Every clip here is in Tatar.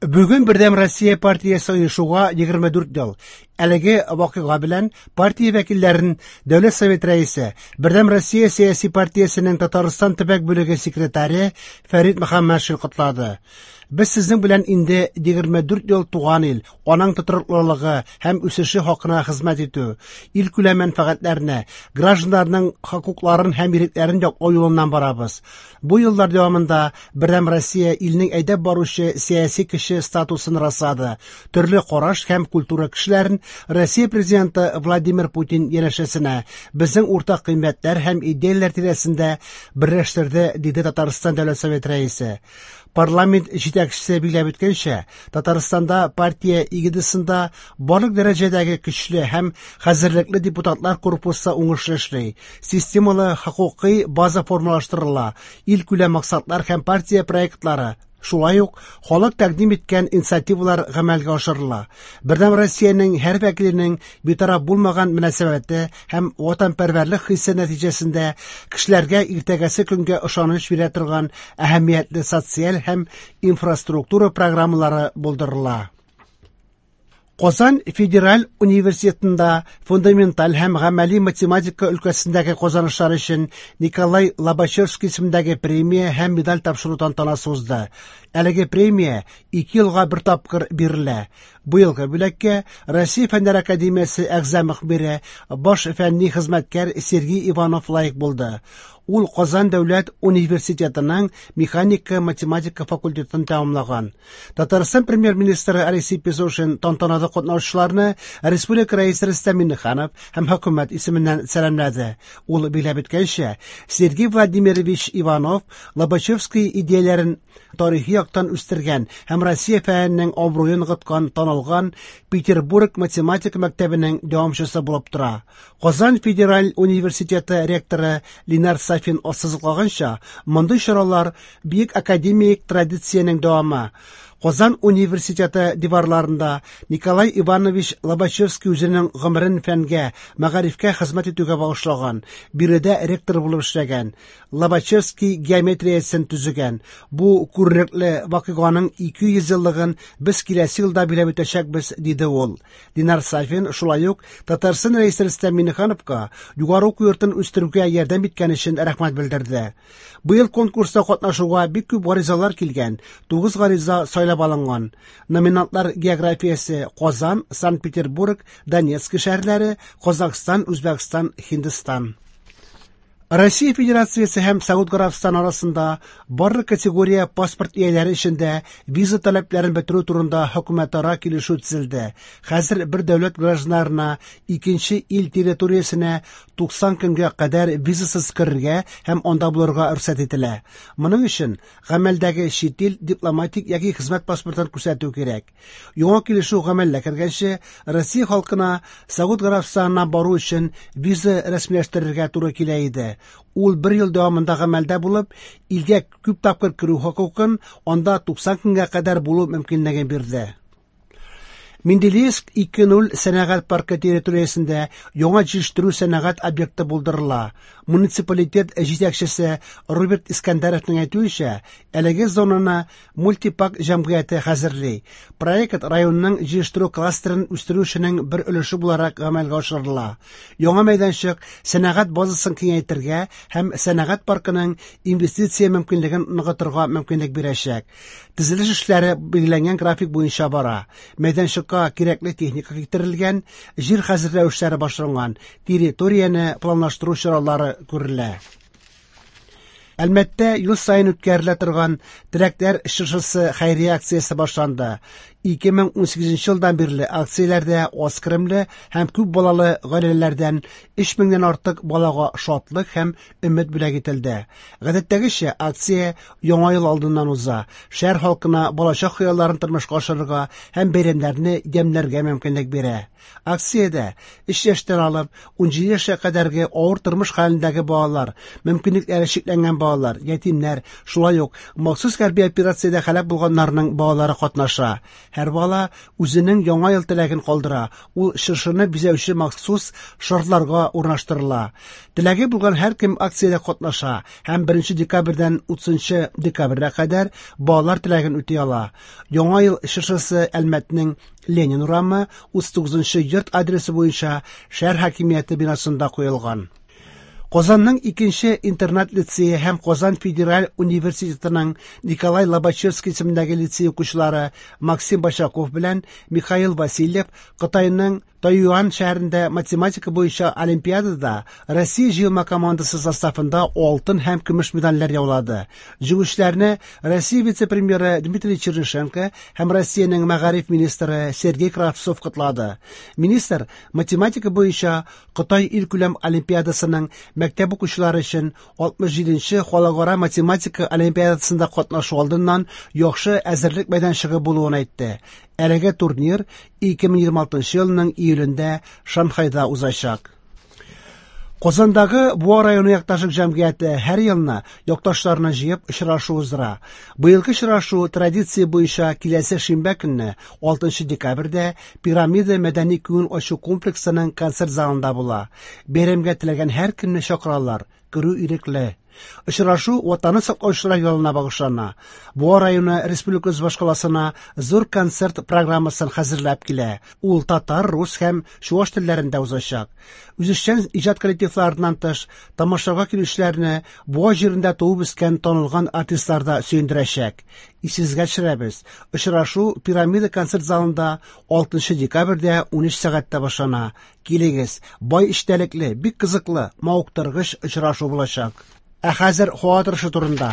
Бүген Бердәм Россия партиясе оешуга 24 ел. Әлеге вакыйга белән партия вәкилләрен Дәүләт Совет рәисе, Бердәм Россия сәяси партиясенең Татарстан төбәк бүлеге секретаре Фәрит Мөхәммәтшин котлады. Без сезнең белән инде 24 ел туган ил, аның тотрыклылыгы һәм үсеше хакына хезмәт итү, илкүләм мәнфәгатьләрне, гражданнарның хокукларын һәм ирекләрен яклау юлыннан барабыз. Бу еллар дәвамында Бердәм Россия илнең әйдәп баручы сәяси көче статусын раслады. Төрле караш һәм культура кешеләрен Россия президенты Владимир Путин янәшәсенә, безнең уртак кыйммәтләр һәм идеяләр тирәсендә берләштерде, диде Татарстан Дәүләт Советы рәисе. Парламент җитәкчесе билгеләп үткәнчә, Татарстанда партия эгидасында барлык дәрәҗәдәге көчле һәм хәзерлекле депутатлар корпусы уңышлы эшли, системалы хокукый база формалаштырыла, илкүләм максатлар һәм партия проектлары, шулай ук халык тәкъдим иткән инициативалар гамәлгә ашырыла. Бердәм Россиянең һәр вәкиленең битараф булмаган мөнәсәбәте һәм ватанпәрвәрлек хисе нәтиҗәсендә кешеләргә иртәгәсе көнгә ышаныч бирә торган әһәмиятле социаль һәм инфраструктура программалары булдырыла. Казан федераль университетында фундаменталь һәм гамәли математика өлкәсендәге казанышлар өчен Николай Лобачевский исемендәге премия һәм медаль тапшыру тантанасы узды. Әлеге премия 2 елга бер тапкыр бирелә. Быелгы бүләккә Россия Фәннәр академиясе әгъза мөхбире, баш фәнни хезмәткәр Сергей Иванов лаек булды. Ул Казан дәүләт университетының механика-математика факультетын тәмамлаган. Татарстан премьер-министры Алексей Песошин тантанада катнашучыларны республика рәисе Рөстәм Миңнеханов һәм хөкүмәт исеменнән сәламләде. Ул билгеләп үткәнчә, Сергей Владимирович Иванов Лобачевский идеяләрен тарихи яктан үстергән һәм Россия фәненең абруен ныгыткан танылган Петербург математика мәктәбенең дәвамчысы булып тора. Казан федераль университеты ректоры Ленар Сафин ассызыклаганча, мондый чаралар бөек академик традициянең дәвамы. Казан университеты диварларында Николай Иванович Лобачевский үзенең гомерен фәнгә, мәгарифкә хезмәт итүгә багышлаган, биредә ректор булып эшләгән, Лобачевский геометриясен төзегән. Бу күренекле вакыйганың 200 еллыгын без киләсе елда билгеләп үтәчәкбез, диде ул. Ленар Сафин шулай ук Татарстан Рәисе Рөстәм Миңнехановка югары уку йортын үстерүгә ярдәм иткән өчен рәхмәт белдерде. Быел конкурста катнашуга бик күп гаризалар килгән, 9 гариза сайлап алынган. Номинантлар географиясе Казан, Санкт-Петербург, Донецк шәһәрләре, Казахстан, Үзбәкстан, Һиндстан. Россия Федерациясе һәм Сауд Гарәбстаны арасында барлык категория паспорт ияләре өчен дә виза таләпләрен бетерү турында хөкүмәтара килешү төзелде. Хәзер бер дәүләт гражданнарына икенче ил территориясенә 90 көнгә кадәр визасыз керергә һәм анда булырга рөхсәт ителә. Моның өчен гамәлдәге чит ил дипломатик яки хезмәт паспортын күрсәтү кирәк. Яңа килешү гамәлгә кергәнче, Россия халкына Сауд Гарәбстанына бару өчен виза рәсмиләштерергә туры килә иде. Ул бер ел дәвамында гамәлдә булып, илгә күп тапкыр керү хокукын анда 90 көнгә кадәр булу мөмкинлеген бирде. Менделеевск 2.0 сәнәгать паркы территориясендә яңа җитештерү сәнәгать объекты булдырыла. Муниципалитет җитәкчесе Роберт Искәндәровның әйтүенчә, әлеге зонаны Мультипак җәмгыяте хәзерли. Проект районның җыештыру кластерын үстерү эшенең бер өлеше буларак гамәлгә ашырыла. Яңа мәйданчык сәнәгать базасын киңәйтергә һәм сәнәгать паркының инвестиция мөмкинлеген ныгытырга мөмкинлек бирәчәк. Төзелеш эшләре билгеләнгән график буенча бара. Мәйданчыкка кирәкле техника китерелгән, җир хәзерләү эшләре башланган, территорияне планлаштыру чаралары күрелә. Әлмәттә ел саен үткәрелә торган Теләкләр чыршысы хәйрия акциясе башланды. 2018 елдан бирле акцияләрдә аз керемле һәм күп балалы гаиләләрдән 3000 нән артык балага шатлык һәм өмет бүләк ителде. Гадәттәгечә акция Яңа ел алдыннан уза. Шәһәр халкына балачак хыялларын тормышка ашырырга һәм бәйрәмнәрне ямьләргә мөмкинлек бирә. Акциядә 3 яшьтән алып 17 яшькә кадәрге авыр тормыш хәлендәге балалар, мөмкинлекләре чикләнгән балалар балалар, ятимнәр, шулай ук махсус хәрби операциядә һәлак булганнарның балалары катнаша. Һәр бала үзенең Яңа ел теләген калдыра, ул чыршыны бизәүче махсус шарларга урнаштырыла. Теләге булган һәркем акциядә катнаша һәм 1 декабрьдән 30 декабрьгә кадәр балалар теләген үти ала. Яңа ел чыршысы Әлмәтнең Ленин урамы 39 йорт адресы буенча шәһәр хакимияте бинасында куелган. Казанның икенче интернат лицее һәм Казан федераль университетының Николай Лобачевский исемендәге лицей укучылары Максим Башаков белән Михаил Васильев Кытайның Тайюань шәһәрендә математика буенча олимпиадада Россия җыелма командасы составында алтын һәм көмеш медальләр яулады. Җиңүчеләрне Россия вице-премьеры Дмитрий Чернышенко һәм Россиянең мәгариф министры Сергей Кравцов котлады. Министр математика буенча Кытай илкүләм олимпиадасының мәктәп укучылары өчен 67нче халыкара математика олимпиадасында катнашу алдыннан яхшы әзерлек мәйданчыгы булуын әйтте. Әлеге турнир 2026 елның июлендә Шанхайда узачак. Казандагы Буа районы якташлык җәмгыяте һәр елны якташларны җыеп очрашу уздыра. Быелгы очрашу традиция буенча киләсе шимбә көнне 6 декабрьдә Пирамида мәдәни күңел ачу комплексының концерт залында була. Бәйрәмгә теләгән һәркемне чакыралар. Керү ирекле. Очрашу Ватанны саклаучылар елына багышлана. Буа районы республикабыз башкаласына зур концерт программасын хәзерләп килә. Ул татар, рус һәм чуаш телләрендә узачак. Үзешчән иҗат коллективларыннан тыш, тамашага килүчеләрне Буа җирендә туып үскән танылган артистлар да сөендерәчәк. Исегезгә төшерәбез, очрашу Пирамида концерт залында 6 декабрьдә 13 сәгатьтә башлана. Килегез, бай эчтәлекле, бик кызыклы, мавыктыргыч очрашу булачак. Ә хәзер һава торышы турында.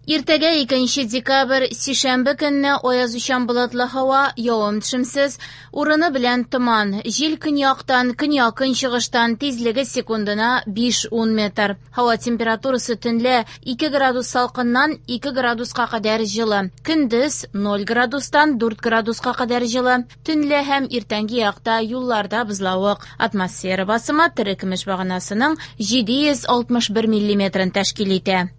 Иртәгә 2 декабрь, сишәмбе көнне аязучан болытлы һава, явым-төшемсез, урыны белән томан. Җил көньяктан, көньяк-көнчыгыштан, тизлеге секундына 5-10 метр. Һава температурасы төнлә 2 градус салкыннан 2 градуска кадәр җылы. Көндез 0 градустан 4 градуска кадәр җылы. Төнлә һәм иртәнге якта юлларда бозлавык. Атмосфера басымы терекөмеш баганасының 761 миллиметрын тәшкил итә.